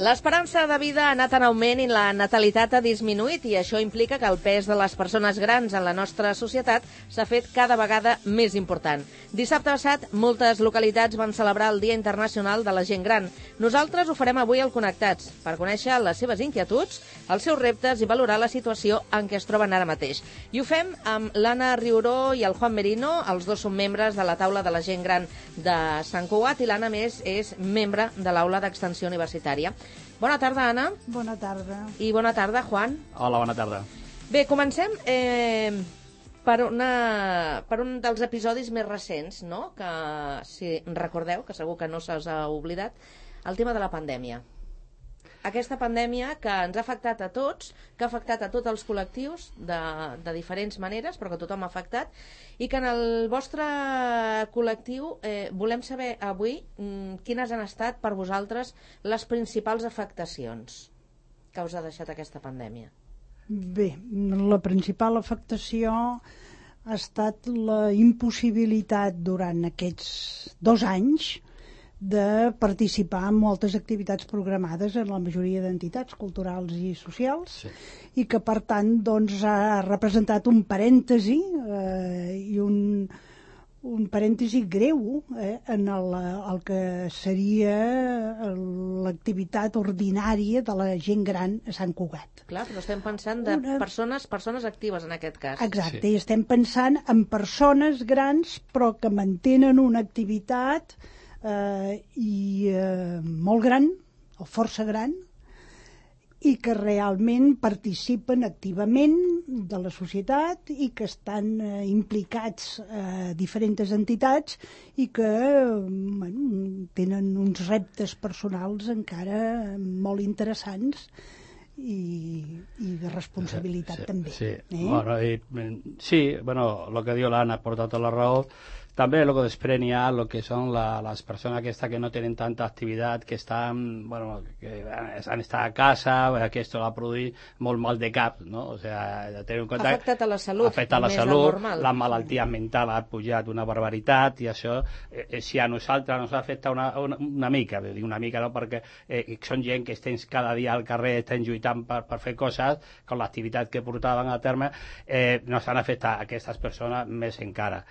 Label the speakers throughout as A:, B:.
A: L'esperança de vida ha anat en augment i la natalitat ha disminuït i això implica que el pes de les persones grans en la nostra societat s'ha fet cada vegada més important. Dissabte passat, moltes localitats van celebrar el Dia Internacional de la Gent Gran. Nosaltres ho farem avui al Connectats, per conèixer les seves inquietuds, els seus reptes i valorar la situació en què es troben ara mateix. I ho fem amb l'Anna Riuró i el Juan Merino, els dos són membres de la taula de la gent gran de Sant Cugat i l'Anna, més, és membre de l'aula d'extensió universitària. Bona tarda, Anna.
B: Bona tarda.
A: I bona tarda, Juan.
C: Hola, bona tarda.
A: Bé, comencem per un dels episodis més recents, no? Que, si recordeu, que segur que no se us ha oblidat, el tema de la pandèmia. Aquesta pandèmia que ens ha afectat a tots, que ha afectat a tots els col·lectius de diferents maneres, però que tothom ha afectat, i que en el vostre col·lectiu volem saber avui quines han estat per vosaltres les principals afectacions que us ha deixat aquesta pandèmia.
B: Bé, la principal afectació ha estat la impossibilitat durant aquests 2 anys de participar en moltes activitats programades en la majoria d'entitats culturals i socials, sí. I que per tant doncs, ha representat un parèntesi i un parèntesi greu en el que seria l'activitat ordinària de la gent gran a Sant Cugat.
A: Clar, però estem pensant de persones actives en aquest cas.
B: Exacte, sí. I estem pensant en persones grans però que mantenen una activitat molt gran o força gran i que realment participen activament de la societat i que estan implicats a diferents entitats i que tenen uns reptes personals encara molt interessants i de responsabilitat també.
C: Sí, lo que diu l'Anna porta tota la raó. També lo que desprèn ja lo que són les persones que no tenen tanta activitat, que estan, que han estat a casa, que esto va produir molt mal de cap, no? O sea, tenir en compte...
A: Ha afectat a la salut.
C: Ha afectat a la salut, la malaltia mental ha pujat una barbaritat i això, si a nosaltres ens afecta una mica, dic una mica no, perquè són gent que estem cada dia al carrer, estem lluitant per fer coses, amb l'activitat que portaven a terme, nos han afectat aquestes persones més encara.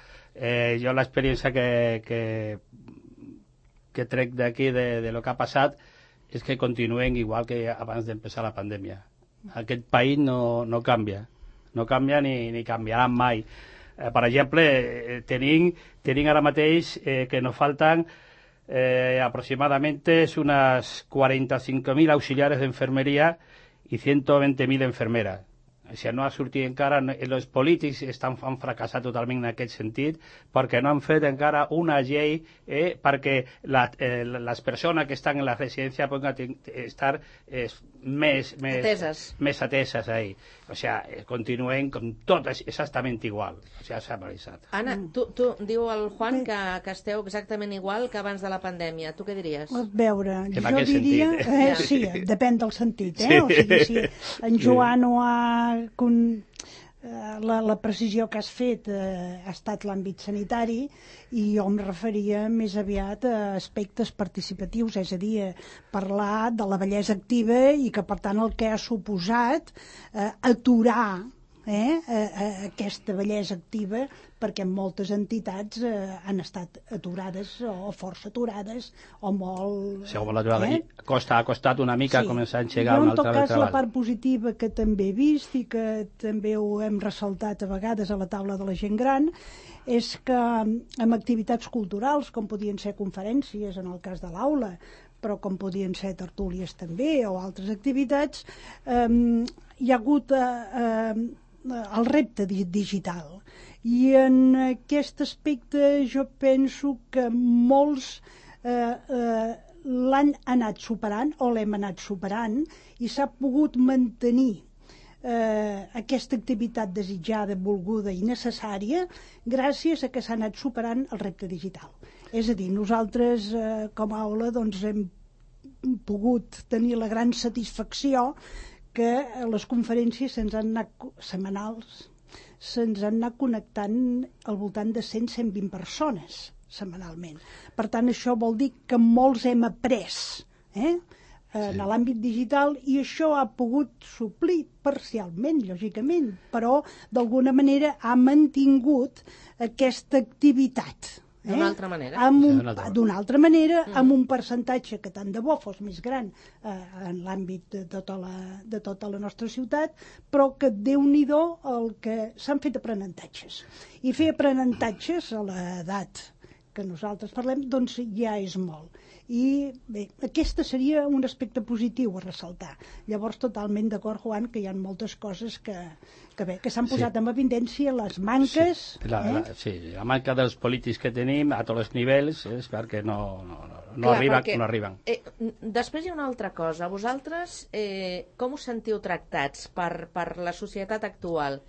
C: Jo l'experiència que trec d'aquí de lo que ha passat és que continuem igual que abans d'empezar la pandèmia. Aquest país no canvia, no canvia ni canviarà mai. Per exemple, tenim ara mateix que nos faltan aproximadamente unas 45.000 auxiliares d'enfermeria i 120.000 enfermeres. O sigui, no ha sortit encara, els polítics han fracassat totalment en aquest sentit perquè no han fet encara una llei perquè les persones que estan en la residència poden estar més ateses ahí. O sigui, continuem com tot exactament igual. O sigui, s'ha realitzat.
A: Anna, tu diu el Juan que esteu exactament igual que abans de la pandèmia. Tu què diries?
B: A veure, jo diria... Sí, depèn del sentit, O sigui, si en Joan ho ha... La precisió que has fet ha estat l'àmbit sanitari i jo em referia més aviat a aspectes participatius, és a dir, parlar de la vellesa activa i que per tant el que ha suposat aturar aquesta vellesa activa perquè moltes entitats han estat aturades o força aturades o molt...
C: Sí, molt aturades. Ha costat una mica començar a engegar un altre treball.
B: En tot cas, la part positiva que també he vist i que també ho hem ressaltat a vegades a la taula de la gent gran és que amb activitats culturals, com podien ser conferències en el cas de l'aula, però com podien ser tertúlies també o altres activitats, hi ha hagut el repte digital. I en aquest aspecte jo penso que molts l'han anat superant o l'hem anat superant i s'ha pogut mantenir aquesta activitat desitjada, volguda i necessària gràcies a que s'ha anat superant el repte digital. És a dir, nosaltres com a aula doncs, hem pogut tenir la gran satisfacció que les conferències setmanals se'ns han anat connectant al voltant de 100-120 persones setmanalment. Per tant, això vol dir que molts hem après en l'àmbit digital, i això ha pogut suplir parcialment, lògicament, però d'alguna manera ha mantingut aquesta activitat.
A: D'una altra manera.
B: D'una altra manera, amb un percentatge que tant de bo fos més gran en l'àmbit de tota la nostra ciutat, però que Déu-n'hi-do el que s'han fet aprenentatges. I fer aprenentatges a l'edat que nosaltres parlem, doncs ja és molt. I bé, aquest seria un aspecte positiu a ressaltar. Llavors, totalment d'acord, Joan, que hi ha moltes coses que s'han posat en evidència, les manques...
C: Sí, la manca dels polítics que tenim a tots els nivells és perquè no arriben.
A: Després hi ha una altra cosa. Vosaltres, com us sentiu tractats per la societat actual?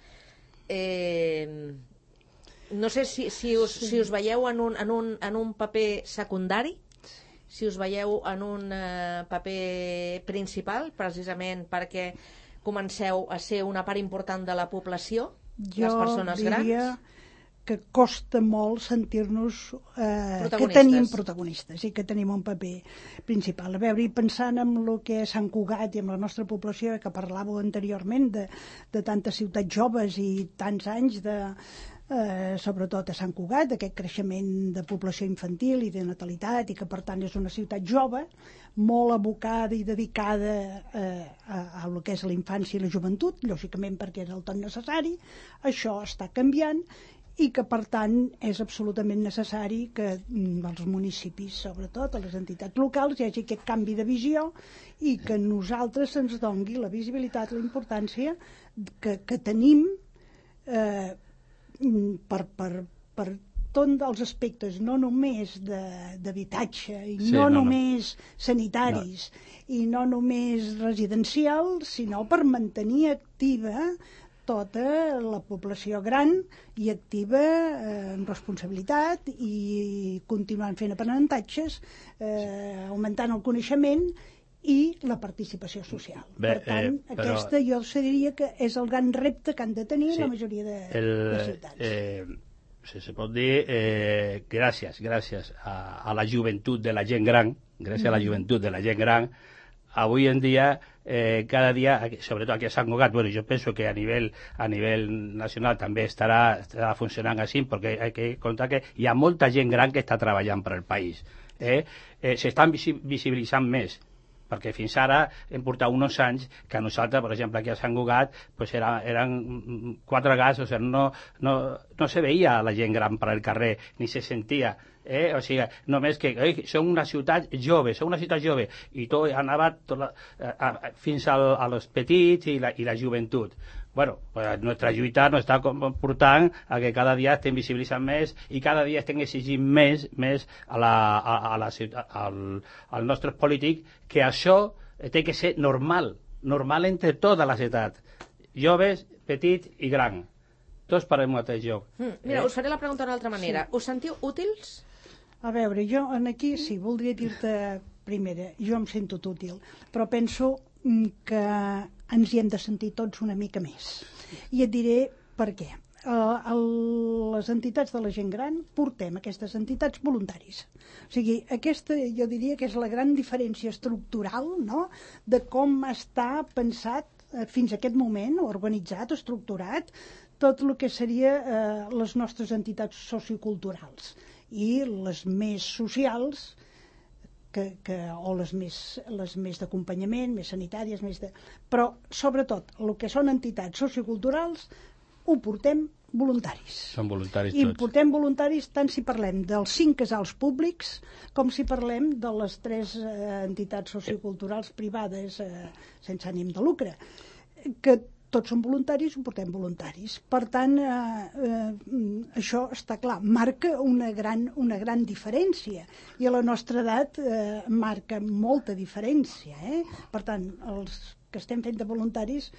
A: No sé si us veieu en un paper secundari, si us veieu en un paper principal, precisament perquè comenceu a ser una part important de la població, les persones grans.
B: Jo diria que costa molt sentir-nos que tenim protagonistes i que tenim un paper principal. A veure, i pensant en el que és Sant Cugat i amb la nostra població, que parlàveu anteriorment de tantes ciutats joves i tants anys sobretot a Sant Cugat, d'aquest creixement de població infantil i de natalitat, i que per tant és una ciutat jove, molt abocada i dedicada a el que és la infància i la joventut, lògicament perquè és el tot necessari. Això està canviant i que per tant és absolutament necessari que als municipis, sobretot a les entitats locals, hi hagi aquest canvi de visió i que nosaltres ens dongui la visibilitat, la importància que tenim per tots els aspectes, no només d'habitatge i només sanitaris i no només residencials, sinó per mantenir activa tota la població gran i activa amb responsabilitat i continuant fent aprenentatges, augmentant el coneixement i la participació social. Per tant, aquesta jo diria que és el gran repte que han de tenir la majoria de ciutats.
C: Se pot dir gràcies a la joventut de la gent gran, gràcies a la joventut de la gent gran, avui en dia, cada dia, sobretot aquí a Sant Cugat, bueno, jo penso que a nivell nacional també estarà funcionant així, perquè hay que comptar que hi ha molta gent gran que està treballant per al país. S'estan visibilitzant més, perquè fins ara hem portat uns anys que nosaltres, per exemple, aquí a Sant Cugat, pues eren 4 gats, o sigui, no se veia la gent gran per al carrer, ni se sentia. O sigui, només que som una ciutat jove, i tot anava fins als petits i la joventut. Bueno, pues nuestra lluita nos està portant a que cada dia estem visibilitzant més i cada dia estem exigint més als nostres polítics que això té que ser normal entre tota la ciutat, joves, petits i grans, tots per al mateix lloc.
B: Mira,
A: us faré la pregunta d'una altra manera. Us sentiu útils?
B: A veure, jo aquí sí, voldria dir-te primera, jo em sento útil, però penso que ens hi hem de sentir tots una mica més. I et diré per què. Les entitats de la gent gran portem aquestes entitats voluntaris. O sigui, aquesta jo diria que és la gran diferència estructural, no?, de com està pensat fins a aquest moment, organitzat, estructurat, tot el que seria les nostres entitats socioculturals i les més socials, o les més d'acompanyament, més sanitàries, però sobretot el que són entitats socioculturals ho portem voluntaris.
C: Són voluntaris
B: tots. I portem voluntaris tant si parlem dels 5 casals públics com si parlem de les 3 entitats socioculturals privades sense ànim de lucre, que tots són voluntaris, ho portem voluntaris. Per tant, això està clar, marca una gran diferència. I a la nostra edat marca molta diferència. Per tant, els que estem fent de voluntaris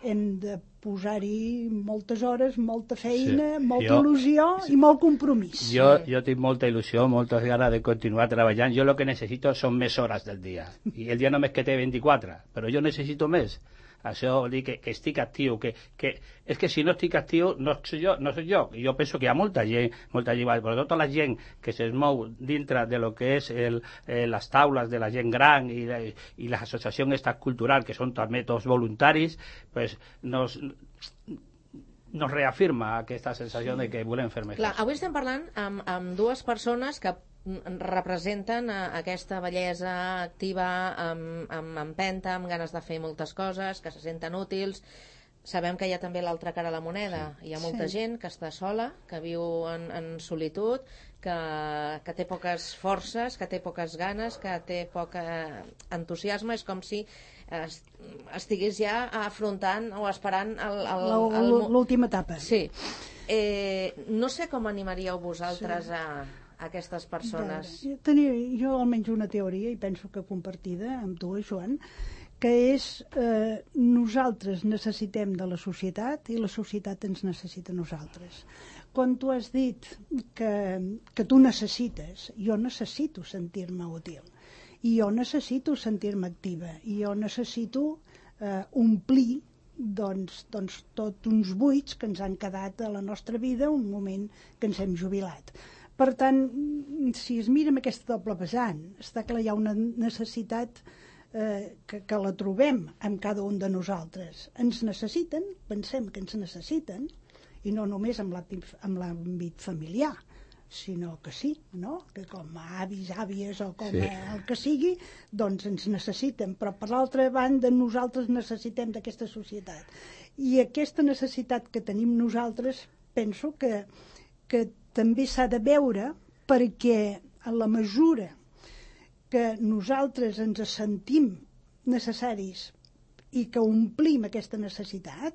B: hem de posar-hi moltes hores, molta feina, molta il·lusió i molt compromís.
C: Jo tinc molta il·lusió, moltes ganes de continuar treballant. Jo el que necessito són més hores del dia. I el dia només que té 24, però jo necessito més. Això vol dir que estic actiu, és que si no estic actiu no soc jo. Jo penso que hi ha molta gent, però tota la gent que es mou dintre de lo que és les taules de la gent gran i les associacions culturals, que són també tots voluntaris, pues nos reafirma aquesta sensació de que volem fer més coses.
A: Avui estem parlant amb dues persones que representen aquesta bellesa activa, amb empenta, amb ganes de fer moltes coses, que se senten útils. Sabem que hi ha també l'altra cara a la moneda. Hi ha molta gent que està sola, que viu en solitud, que té poques forces, que té poques ganes, que té poc entusiasme. És com si estigués ja afrontant o esperant
B: l'última etapa.
A: Sí. No sé com animaríeu vosaltres a aquestes persones.
B: Tenia jo almenys una teoria, i penso que compartida amb tu, Joan, que és nosaltres necessitem de la societat i la societat ens necessita a nosaltres. Quan tu has dit que tu necessites, jo necessito sentir-me útil, i jo necessito sentir-me activa, i jo necessito omplir doncs tots uns buits que ens han quedat a la nostra vida un moment que ens hem jubilat. Per tant, si es mira amb aquesta doble vessant, està clar, hi ha una necessitat que la trobem en cada un de nosaltres. Ens necessiten, pensem que ens necessiten, i no només en l'àmbit familiar, sinó que sí, no? Que com a avis, àvies o com el que sigui, doncs ens necessiten, però per l'altra banda nosaltres necessitem d'aquesta societat. I aquesta necessitat que tenim nosaltres penso que també s'ha de veure, perquè en la mesura que nosaltres ens sentim necessaris i que omplim aquesta necessitat,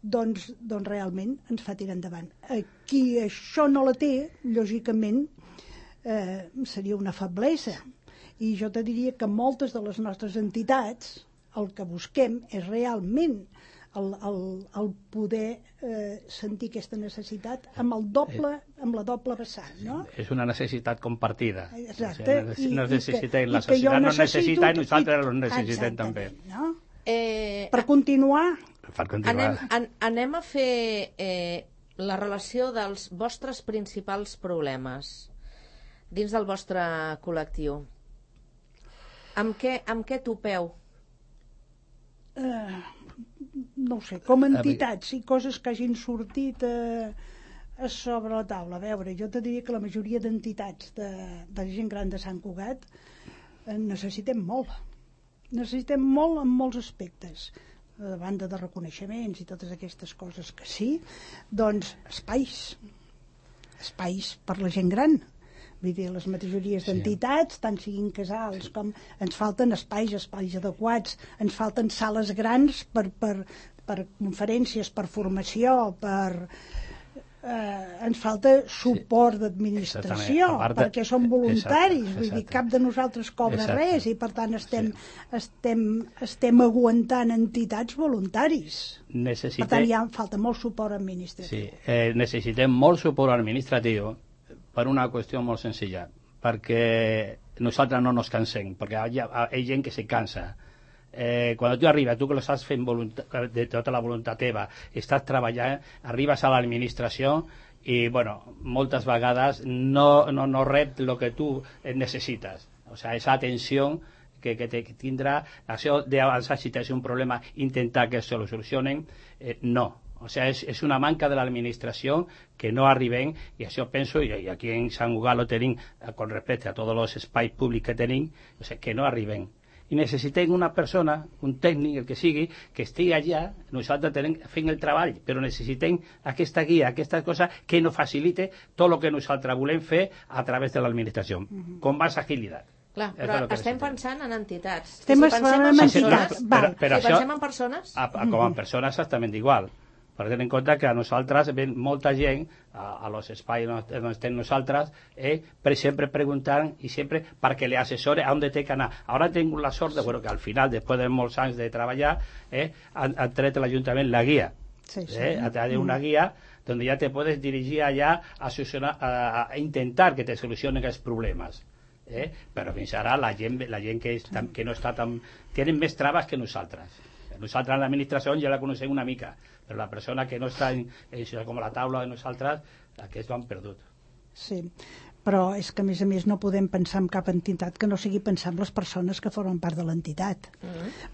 B: doncs realment ens fa tirar endavant. Qui això no la té, lògicament, seria una feblesa. I jo te diria que moltes de les nostres entitats el que busquem és realment el poder sentir aquesta necessitat amb la doble vessant, no?
C: És una necessitat compartida.
B: Exacte.
C: La societat no necessita i nosaltres ho necessitem també.
B: No? Per continuar...
A: Anem a fer la relació dels vostres principals problemes dins del vostre col·lectiu. Amb què topeu?
B: No ho sé, com a entitats i coses que hagin sortit a sobre la taula. A veure, jo te diria que la majoria d'entitats de gent gran de Sant Cugat necessitem molt. Necessitem molt en molts aspectes. A banda de reconeixements i totes aquestes coses que sí, doncs espais per la gent gran. Vull dir, les majories d'entitats, tant siguin casals com... Ens falten espais adequats, ens falten sales grans per conferències, per formació, ens falta suport d'administració, perquè som voluntaris, vull dir, cap de nosaltres cobra res i per tant estem aguantant entitats voluntaris. Per tant, falta molt suport administratiu.
C: Sí, necessitem molt suport administratiu per una qüestió molt senzilla, perquè nosaltres no nos cansem, perquè hi ha gent que se cansa. Quan tu arribes, tu que l'estàs fent de tota la voluntat teva, estàs treballant, arribes a l'administració i, bueno, moltes vegades no rep el que tu necessites. O sigui, aquesta atenció que tindrà, això d'avançar si tens un problema, intentar que se lo solucionen, no. O sigui, és una manca de l'administració que no arribem, i això penso, i aquí en Sant Cugat lo tenim, con respecte a tots els espais públics que tenim, o sigui, que no arribem. I necessitem una persona, un tècnic, el que sigui, que estigui allà, nosaltres fent el treball, però necessitem aquesta guia, aquesta cosa que nos facilite tot el que nosaltres volem fer a través de l'administració, con más agilitat.
A: Clar, però estem pensant en entitats.
B: Si pensem en entitats.
A: Si pensem en persones...
C: Com en persones exactament igual. Per tenir en compte que a nosaltres ven molta gent a los espais on estem nosaltres, sempre preguntant i sempre perquè li assessore a on té que anar. Ara he tingut la sort de que al final, després de molts anys de treballar, han tret l'Ajuntament la guia. Ha tret una guia on ja te puedes dirigir allà a intentar que te solucionen els problemes. Però fins ara la gent que no està tan... tenen més traves que nosaltres. Nosaltres en l'administració ja la coneixem una mica, però la persona que no està com la taula de nosaltres, aquests van perdut.
B: Sí, però és que a més no podem pensar en cap entitat que no sigui pensar en les persones que formen part de l'entitat.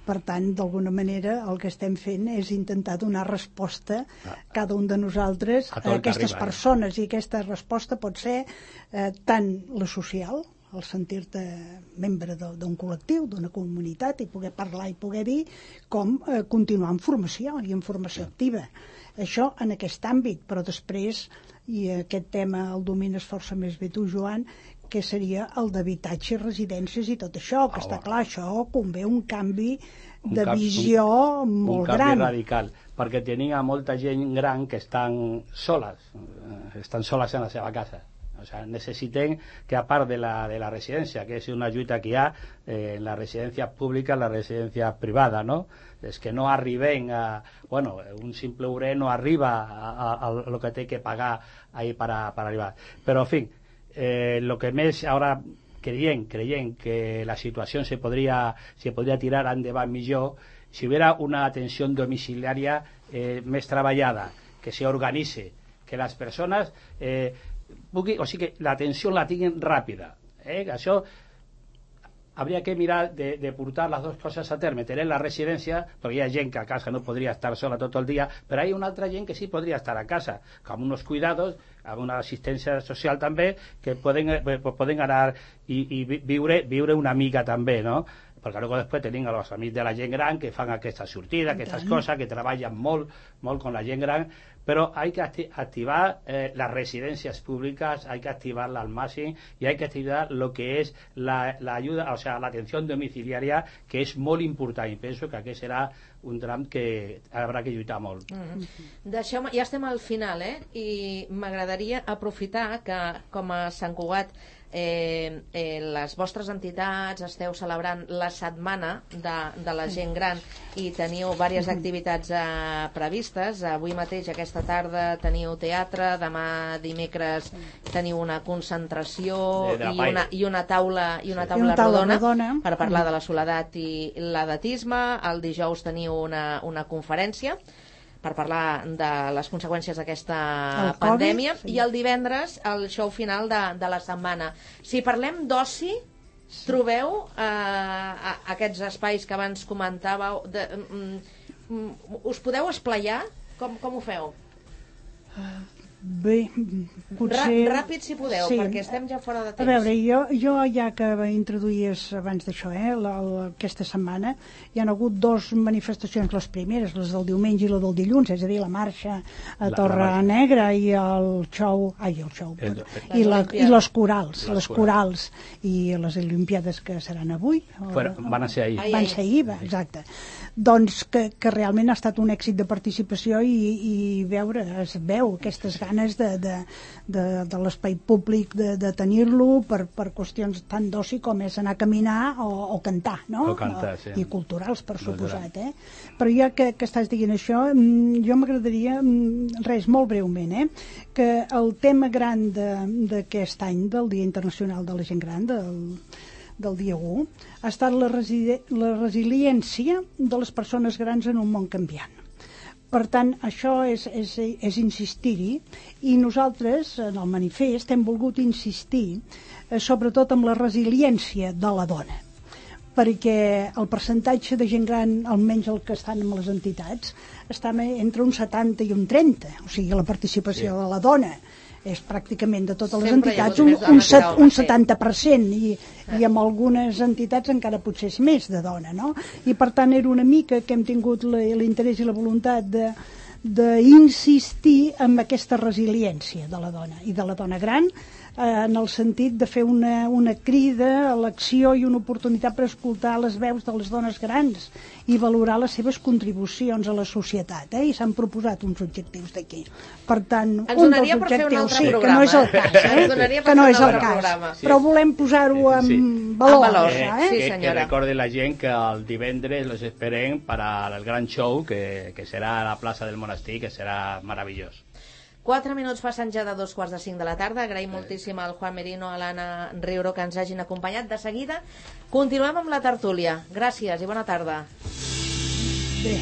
B: Per tant, d'alguna manera el que estem fent és intentar donar resposta cada un de nosaltres a aquestes persones, i aquesta resposta pot ser tant la social, el sentir-te membre d'un col·lectiu, d'una comunitat, i poder parlar i poder dir, com continuar en formació i en formació activa. Això en aquest àmbit, però després, i aquest tema el domines força més bé tu, Joan, que seria el d'habitatge, residències i tot això, que està clar, això convé un canvi de visió molt gran.
C: Un canvi radical, perquè tenia molta gent gran que estan soles en la seva casa. O sea, necessiten que, a part de la residència, que és una lluita que hi ha en les residències públiques, en les residències privades, no? És que no arriben a... Bueno, un simple obrer no arriba a lo que té que pagar ahí para arribar. Però, en fi, lo que més ara creient que la situació se podria tirar endavant millor si hubiera una atenció domiciliària més treballada, que se organitze, que les persones... o sigui que l'atenció la tinguin ràpida. Això hauria que mirar de portar les dues coses a terme, tenir la residència, perquè hi ha gent que a casa no podria estar sola tot el dia, però hi ha una altra gent que sí podria estar a casa, amb uns cuidados, amb una assistència social també, que poden anar i viure una mica també, no? Perquè després tenim els amics de la gent gran que fan aquesta sortida, aquestes coses, que treballen molt con la gent gran, però hay que activar las residencias públicas, hay que activarla al máximo y hay que activar lo que es la ayuda, o sea, la atención domiciliaria, que és molt important, i penso que aquest serà un tram que haurà que lluitar molt.
A: Deixeu-me, ja estem al final, i m'agradaria aprofitar que, com a Sant Cugat, les vostres entitats esteu celebrant la setmana de la gent gran i teniu diverses activitats previstes. Avui mateix, aquesta tarda, teniu teatre, demà dimecres teniu una concentració i una taula rodona per parlar de la soledat i l'edatisme. El dijous teniu una conferència per parlar de les conseqüències d'aquesta pandèmia, i el divendres el show final de la setmana. Si parlem d'oci, trobeu aquests espais que abans comentàveu, us podeu esplaiar? Com ho feu?
B: Bé, potser...
A: Ràpid, si podeu, perquè estem ja fora de temps.
B: A veure, jo ja que introduïes abans d'això, aquesta setmana, hi ha hagut 2 manifestacions, les primeres, les del diumenge i la del dilluns, és a dir, la marxa a Torre Negra i el show, i les corals, i les Olimpiades que seran avui.
C: Van ser ahir.
B: Van ser ahir, exacte. Doncs que realment ha estat un èxit de participació i es veu aquestes ganes de l'espai públic de tenir-lo per qüestions tant d'oci com és anar a caminar o cantar, no?
C: O cantar, sí.
B: I culturals, per suposat, Però ja que estàs dient això, jo m'agradaria, molt breument, que el tema gran d'aquest any, del Dia Internacional de la Gent Gran, del dia 1, ha estat la resiliència de les persones grans en un món canviant. Per tant, això és insistir-hi, i nosaltres, en el manifest, hem volgut insistir sobretot en la resiliència de la dona, perquè el percentatge de gent gran, almenys el que estan en les entitats, està entre un 70 i un 30, o sigui, la participació de la dona és pràcticament de totes les entitats un 70%, i amb algunes entitats encara potser és més de dona, no? I per tant era una mica que hem tingut l'interès i la voluntat d'insistir en aquesta resiliència de la dona i de la dona gran, en el sentit de fer una crida a l'acció i una oportunitat per escoltar les veus de les dones grans i valorar les seves contribucions a la societat, i s'han proposat uns objectius d'aquí. Per tant, un dels objectius, que no és el cas, que no és el cas, però volem posar-ho en valor.
C: Que recorde la gent que el divendres los esperem per al gran show que serà a la plaça del Monestir, que serà meravellós.
A: 4 minuts passen ja de 2:45 de la tarda. Agraïm moltíssim al Juan Merino, a l'Anna Riuro, que ens hagin acompanyat. De seguida continuem amb la tertúlia. Gràcies i bona tarda.
B: Bé,